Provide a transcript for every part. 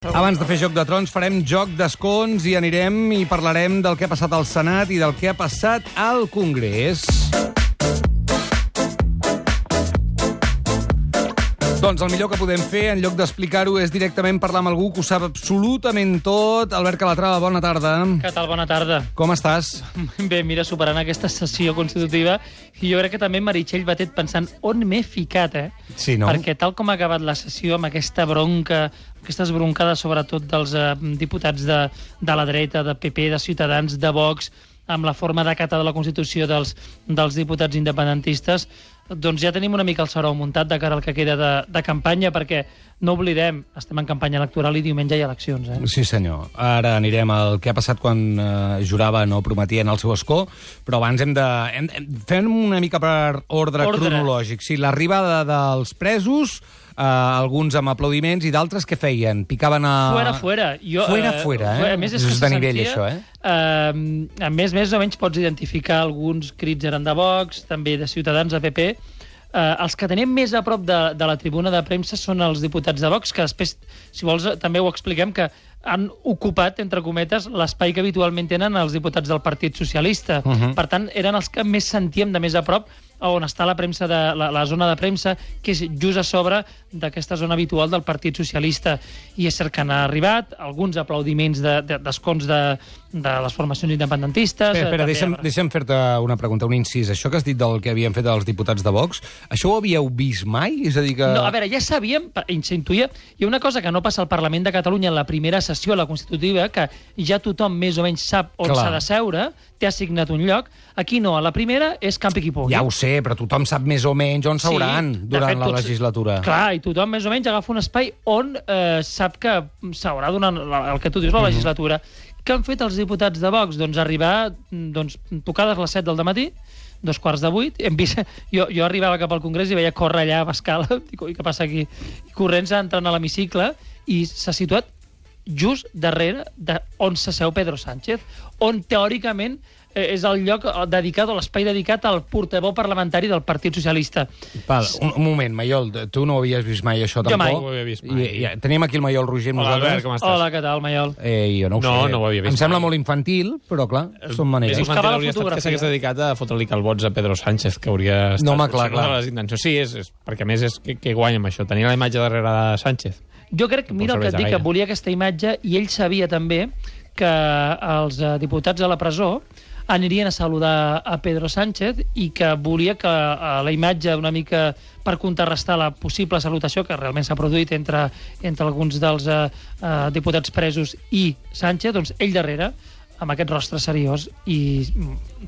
Abans de fer Joc de Trons farem Joc d'Escons i anirem i parlarem del que ha passat al Senat i del que ha passat al Congrés. Doncs el millor que podem fer, en lloc d'explicar-ho, és directament parlar amb algú que ho sap absolutament tot. Albert Calatrava, bona tarda. Què tal? Bona tarda. Com estàs? Bé, mira, superant aquesta sessió constitutiva, i jo crec que també Meritxell Batet pensant on m'he ficat, Sí, no? Perquè tal com ha acabat la sessió, amb aquesta bronca, aquestes broncades sobretot dels diputats de la dreta, de PP, de Ciutadans, de Vox, amb la forma d'acatar de la Constitució dels diputats independentistes, doncs ja tenim una mica el sarau muntat de cara al que queda de campanya, perquè no oblidem, estem en campanya electoral i diumenge hi ha eleccions. Sí, senyor. Ara anirem al que ha passat quan juraven o prometien el seu escó, però abans fem una mica per ordre cronològic. Sí, l'arribada dels presos, alguns amb aplaudiments i d'altres que feien? Picaven a... Fuera. Fuera, A més, és de nivell, això, A més o menys pots identificar alguns crits eren de Vox, també de Ciutadans, de PP. Els que tenim més a prop de la tribuna de premsa són els diputats de Vox, que després, si vols, també ho expliquem, que han ocupat, entre cometes, l'espai que habitualment tenen els diputats del Partit Socialista. Per tant, eren els que més sentíem de més a prop on està la premsa la zona de premsa, que és just a sobre d'aquesta zona habitual del Partit Socialista. I és cert que han arribat alguns aplaudiments d'escons de les formacions independentistes. Espera, deixa'm fer-te una pregunta, un incís. Això que has dit del que havien fet els diputats de Vox, això ho havíeu vist mai? És a dir que... No, a veure, ja sabíem, s'intuïa, hi ha una cosa que no passa al Parlament de Catalunya en la primera sessió, la Constitutiva, que ja tothom més o menys sap on s'ha de seure, té assignat un lloc. Aquí no, a la primera és campi qui pugui. Ja ho sé, però tothom sap més o menys on s'hauran durant la legislatura. Clar, i tothom més o menys agafa un espai on sap que s'haurà durant el que tu dius, la legislatura. Què han fet els diputats de Vox? Doncs arribar, tocades les 7 del matí, 7:45, hem vist... Jo arribava cap al Congrés i veia córrer allà a Bascala, dic, què passa aquí? I corrents entrant a l'hemicicle, i s'ha situat just darrere on s'asseu Pedro Sánchez, on teòricament és el lloc dedicat, o l'espai dedicat al portaveu parlamentari del Partit Socialista. Un moment, Maiol, tu no ho havies vist mai, això, tampoc? Jo mai. No ho havia vist mai. Tenim aquí el Maiol Roger amb nosaltres. nosaltres. Com estàs? Hola, què tal, Maiol? Jo no ho sé. No ho havia vist Em sembla mai. molt infantil, però clar, són maneres. És infantil, Buscava la hauria estat que fotografia. s'hagués dedicat a fotre-li calbots a Pedro Sánchez, que hauria estat... No, home, clar. Una de les intencions. Sí, és perquè a més és que guanya amb això. Tenir la imatge darrere de Sánchez. Jo crec, mira el que et dic, que volia aquesta imatge, i ell sabia també que els diputats a la presó anirien a saludar a Pedro Sánchez i que volia que la imatge una mica per contrarrestar la possible salutació que realment s'ha produït entre alguns dels diputats presos i Sánchez, doncs ell darrere, amb aquest rostre seriós, i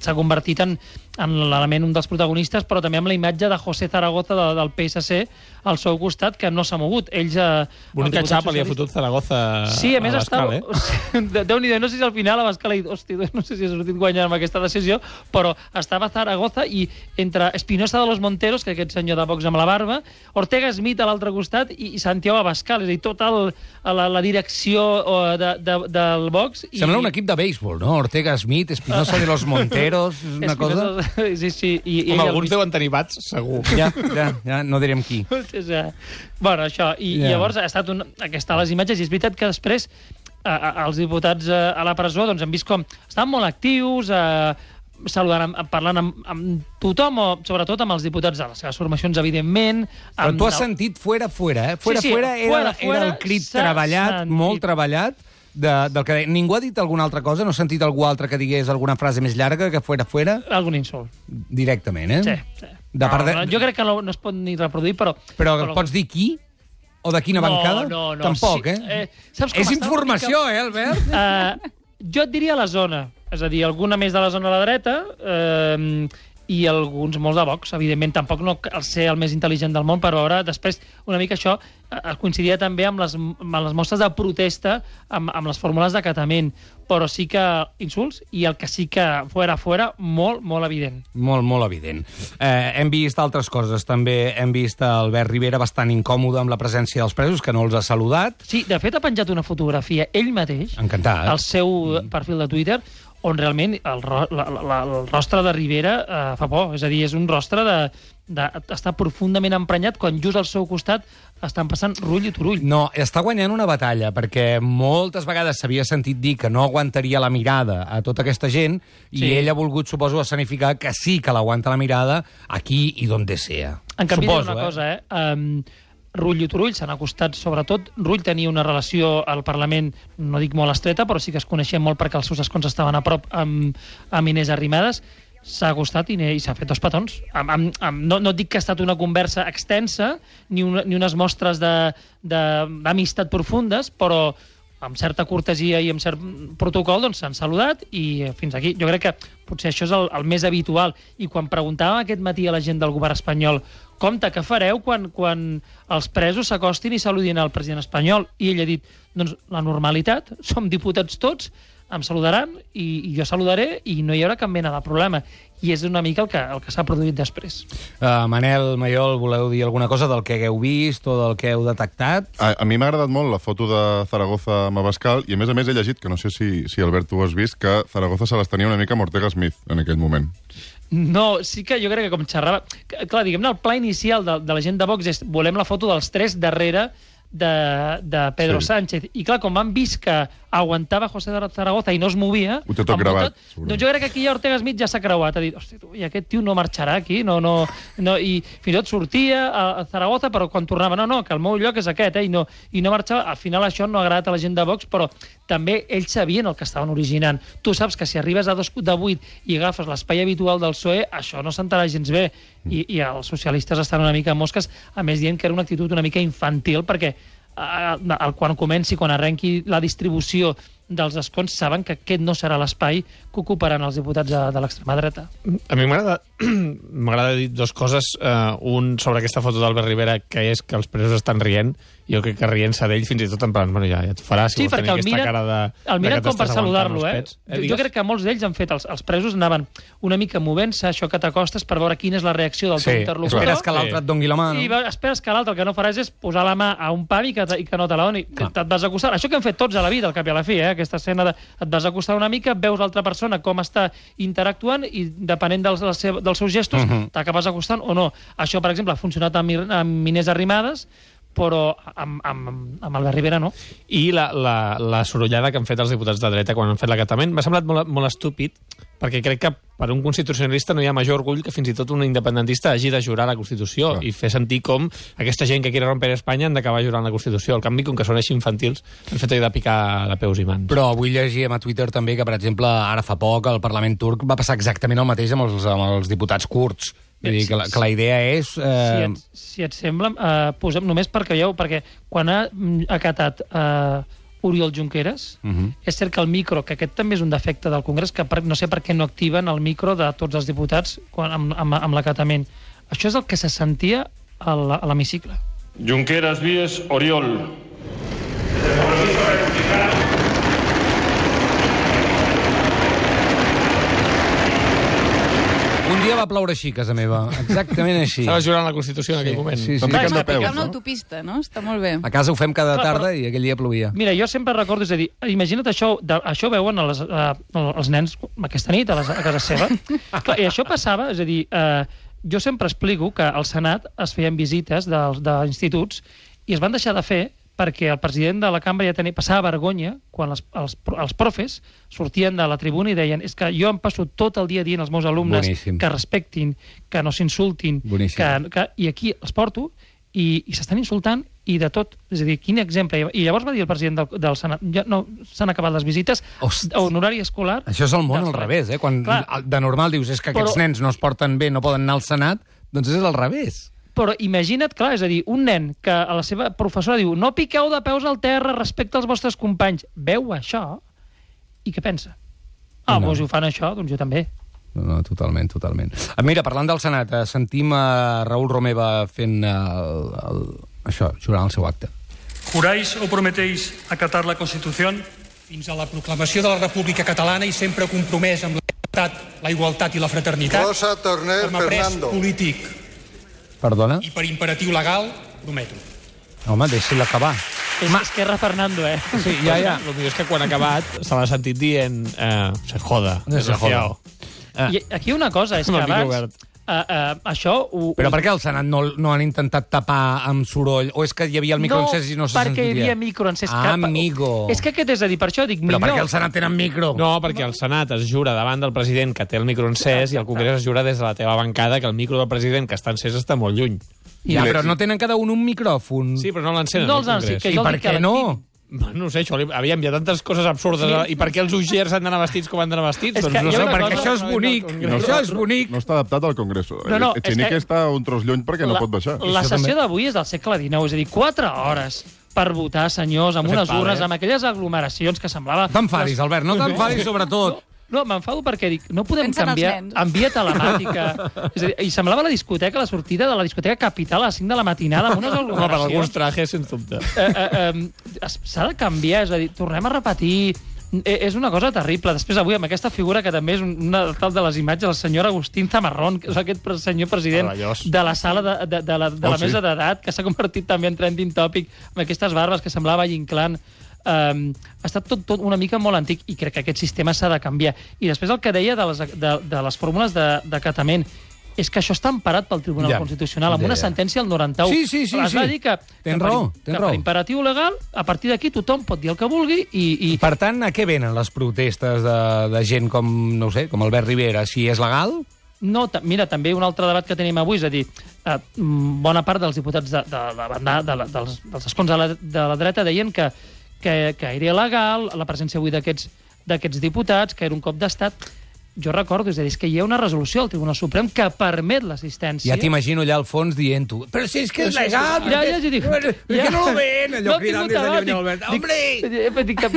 s'ha convertit en l'element, un dels protagonistes, però també amb la imatge de José Zaragoza del PSC al seu costat, que no s'ha mogut. Ells... Bonica xapa li ha fotut Zaragoza sí, a més Bascal, Déu-n'hi-do, no sé si al final a Bascal no sé si ha sortit guanyant amb aquesta decisió, però estava Zaragoza i entre Espinosa de los Monteros, que aquest senyor de Vox amb la barba, Ortega Smith a l'altre costat i Santiago Abascal, és a dir, tota la direcció del Vox. Sembla un equip de béisbol, no? Ortega Smith, Espinosa de los Monteros, és una cosa... Sí. Home, alguns deuen tenir bats, segur. Ja, no direm qui. Bueno, això, i llavors ha estat aquesta les imatges, i és veritat que després els diputats a la presó doncs han vist com estaven molt actius, saludant, parlant amb tothom, o sobretot amb els diputats de les seves formacions, evidentment. Però tu has sentit fuera, eh? Fuera era el crit treballat, molt treballat, del que ningú ha dit alguna altra cosa? No he sentit algú altre que digués alguna frase més llarga que fuera? Algun insult. Directament, Sí. Jo crec que no es pot ni reproduir, però... Però pots dir qui? O de quina bancada? No. Tampoc, Saps com és informació, Albert? Jo et diria la zona. És a dir, alguna més de la zona de la dreta, i alguns molts de Vox. Evidentment, tampoc no cal ser el més intel·ligent del món per veure després una mica això coincidia també amb les mostres de protesta, amb les fórmules d'acatament, però sí que insults, i el que sí que fora, molt evident. Molt evident. Hem vist altres coses, també hem vist Albert Rivera bastant incòmode amb la presència dels presos, que no els ha saludat. Sí, de fet ha penjat una fotografia ell mateix, encantat, al seu perfil de Twitter, on realment el rostre de Rivera fa por. És a dir, és un rostre d'estar profundament emprenyat quan just al seu costat estan passant Rull i Turull. No, està guanyant una batalla, perquè moltes vegades s'havia sentit dir que no aguantaria la mirada a tota aquesta gent, i ell ha volgut, suposo, escenificar que sí que l'aguanta la mirada aquí i donde sea. En canvi, suposo, una cosa, Rull i Turull s'han acostat, sobretot. Rull tenia una relació al Parlament, no dic molt estreta, però sí que es coneixien molt perquè els seus escons estaven a prop amb Inés Arrimadas. S'ha acostat i s'ha fet dos petons. No dic que ha estat una conversa extensa, ni unes mostres d'amistat profundes, però amb certa cortesia i amb cert protocol s'han saludat i fins aquí. Jo crec que potser això és el més habitual. I quan preguntàvem aquest matí a la gent del govern espanyol compte, què fareu quan els presos s'acostin i saludin al president espanyol? I ell ha dit, doncs la normalitat, som diputats tots, em saludaran i jo saludaré i no hi haurà cap mena de problema. I és una mica el que s'ha produït després. Manel, Mayol, voleu dir alguna cosa del que hagueu vist o del que heu detectat? A mi m'ha agradat molt la foto de Zaragoza amb Abascal i a més he llegit, que no sé si Albert tu ho has vist, que Zaragoza se les tenia una mica amb Ortega Smith en aquell moment. No, sí que jo crec que com xerrava... Clar, diguem-ne, el pla inicial de la gent de Vox és volem la foto dels tres darrere de Pedro Sánchez. I clar, com han vist que aguantava José de Zaragoza i no es movia... Ho té tot gravat. Doncs jo crec que aquí Ortega Smith ja s'ha creuat. Ha dit, hosti, i aquest tio no marxarà aquí. I fins i tot sortia a Zaragoza, però quan tornava, no, que el meu lloc és aquest, i no marxava. Al final això no ha agradat a la gent de Vox, però també ells sabien el que estaven originant. Tu saps que si arribes a 2 de 8 i agafes l'espai habitual del PSOE, això no sentarà gens bé. I els socialistes estan una mica mosques, a més dient que era una actitud una mica infantil, perquè quan arrenqui la distribució dels escons saben que aquest no serà l'espai que ocuparan els diputats de l'extrema dreta. A mi m'agrada dir dues coses. Un sobre aquesta foto d'Albert Rivera, que és que els presos estan rient. Jo crec que rient-se d'ell fins i tot en plan, bueno, ja et farà, si vols tenir aquesta cara de... El miren com per saludar-lo, Jo crec que molts d'ells han fet, els presos anaven una mica movent-se, això que t'acostes per veure quina és la reacció del teu interlocutor. Esperes que l'altre et dongui la mà. I esperes que l'altre el que no faràs és posar la mà a un pam i que no te la doni. Te't vas acostar. Això que hem fet tots a la vida, al cap i a la fi, aquesta escena et vas acostar una mica, veus l'altra persona com està interactuant i depenent dels seus gestos t'acabes acostant o no. Això, per exemple, ha funcionat amb Inés Arrimadas, però amb Albert Rivera no. I la sorollada que han fet els diputats de dreta quan han fet l'acatament m'ha semblat molt estúpid, perquè crec que per un constitucionalista no hi ha major orgull que fins i tot un independentista hagi de jurar la Constitució i fer sentir com aquesta gent que quiere romper Espanya han d'acabar jurant la Constitució. Al canvi, com que són així infantils, han fet de picar de peus i mans. Però avui llegíem a Twitter també que, per exemple, ara fa poc al Parlament turc va passar exactament el mateix amb els diputats kurds. Vull dir que la idea és... Si et sembla, posem només perquè veieu, perquè quan ha acatat Oriol Junqueras, és cert que el micro, que aquest també és un defecte del Congrés, que no sé per què no activen el micro de tots els diputats amb l'acatament. Això és el que se sentia a l'hemicicle. Junqueras Vies Oriol. Un dia va ploure així, a casa meva. Exactament així. Estava jurant la Constitució en aquell moment. Sí. Clar, és picar una autopista, no? Està molt bé. A casa ho fem cada tarda i aquell dia plovia. Mira, jo sempre recordo, és a dir, imagina't això veuen els nens aquesta nit a casa seva. Clar, i això passava, és a dir, jo sempre explico que al Senat es feien visites d'instituts i es van deixar de fer perquè el president de la cambra ja passava vergonya quan els profes sortien de la tribuna i deien és que jo em passo tot el dia dient als meus alumnes que respectin, que no s'insultin, i aquí els porto i s'estan insultant i de tot. És a dir, quin exemple. I llavors va dir el president del Senat, ja no s'han acabat les visites en horari escolar. Això és el món al revés, quan de normal dius és que aquests nens no es porten bé, no poden anar al Senat, doncs és al revés. Però imagina't, clar, és a dir, un nen que a la seva professora diu no piqueu de peus al terra respecte als vostres companys. Veu això i què pensa? Doncs si ho fan això, doncs jo també. No, totalment. Mira, parlant del Senat, sentim a Raül Romeva fent això, jurant el seu acte. ¿Juráis o prometéis acatar la Constitución? Fins a la proclamació de la República Catalana i sempre compromès amb la igualtat i la fraternitat. Rosa Torner com a pres polític. Perdona? I per imperatiu legal, prometo. Home, deixi-la acabar. És que era Fernando, Sí, ja. El millor és que quan ha acabat se l'ha sentit dient se joda, desgraciado. I aquí una cosa, és que abans... això... Però per què al Senat no han intentat tapar amb soroll? O és que hi havia el microencès i no se sentia? No, perquè hi havia microencès. Amigo. És que aquest és a dir, per això dic Però millor... per què al Senat tenen micro? No, perquè el Senat es jura davant del president que té el microencès i el Congrés es jura des de la teva bancada que el micro del president que està encès està molt lluny. Ja, però no tenen cada un micròfon. Sí, però no l'encenen No al els han Congrés. sí, I per què no? No sé, aviam, hi ha tantes coses absurdes. I per què els uixers han d'anar vestits com han d'anar vestits? És Doncs que no hi ha sé, una perquè cosa- això és bonic. Això és bonic. No està adaptat al Congreso. No, Echenique és que- està un tros lluny perquè no pot baixar. La sessió d'avui és del segle XIX, és a dir, 4 hores per votar, senyors, amb unes urnes, amb aquelles aglomeracions que semblava... T'enfadis, Albert, no t'enfadis sobretot. No, m'enfado perquè dic, no podem Pensa en els canviar nens. en via telemàtica. És a dir, i semblava la discoteca, la sortida de la discoteca Capital a les 5 de la matinada amb unes Home, per alguns aglomeracions. trajes, sens dubte. S'ha de canviar, és a dir, tornem a repetir... És una cosa terrible. Després, avui, amb aquesta figura que també és una tal de les imatges, el senyor Agustín Zamarrón, que és aquest senyor president Meravellós. de la sala de la sí. mesa d'edat, que s'ha convertit també en trending topic, amb aquestes barbes que semblava Inclán. Ha estat tot una mica molt antic i crec que aquest sistema s'ha de canviar. I després el que deia de les fórmules d'acatament és que això està emparat pel Tribunal Constitucional amb una sentència al 91. Sí. Es va dir que per imperatiu legal, a partir d'aquí tothom pot dir el que vulgui i... Per tant, a què venen les protestes de gent com, no ho sé, com Albert Rivera? Si és legal? No, mira, també un altre debat que tenim avui, és a dir, bona part dels diputats dels escons de la dreta deien que era il·legal la presència avui d'aquests diputats, que era un cop d'estat. Jo recordo, és a dir, és que hi ha una resolució del Tribunal Suprem que permet l'assistència. Ja t'imagino allà al fons dient-ho. Però si és que és legal! Per què no ho ven? Allò cridant des de lluny, Albert. Hombre!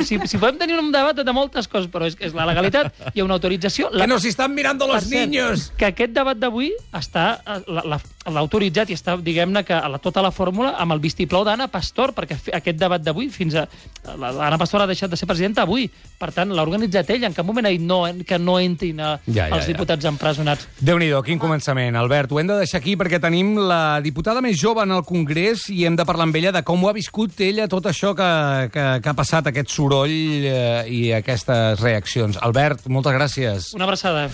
Si podem tenir un debat de moltes coses, però és la legalitat, hi ha una autorització... Que nos están mirando los niños! Que aquest debat d'avui l'ha autoritzat i està, diguem-ne, que tota la fórmula amb el vistiplau d'Anna Pastor, perquè aquest debat d'avui, fins a... L'Anna Pastor ha deixat de ser presidenta avui. Per tant, l'ha organitzat ell. En cap moment ha dit que no entrin els diputats empresonats. Déu-n'hi-do, quin començament, Albert. Ho hem de deixar aquí perquè tenim la diputada més jove en el Congrés i hem de parlar amb ella de com ho ha viscut ella tot això que ha passat, aquest soroll i aquestes reaccions. Albert, moltes gràcies. Una abraçada.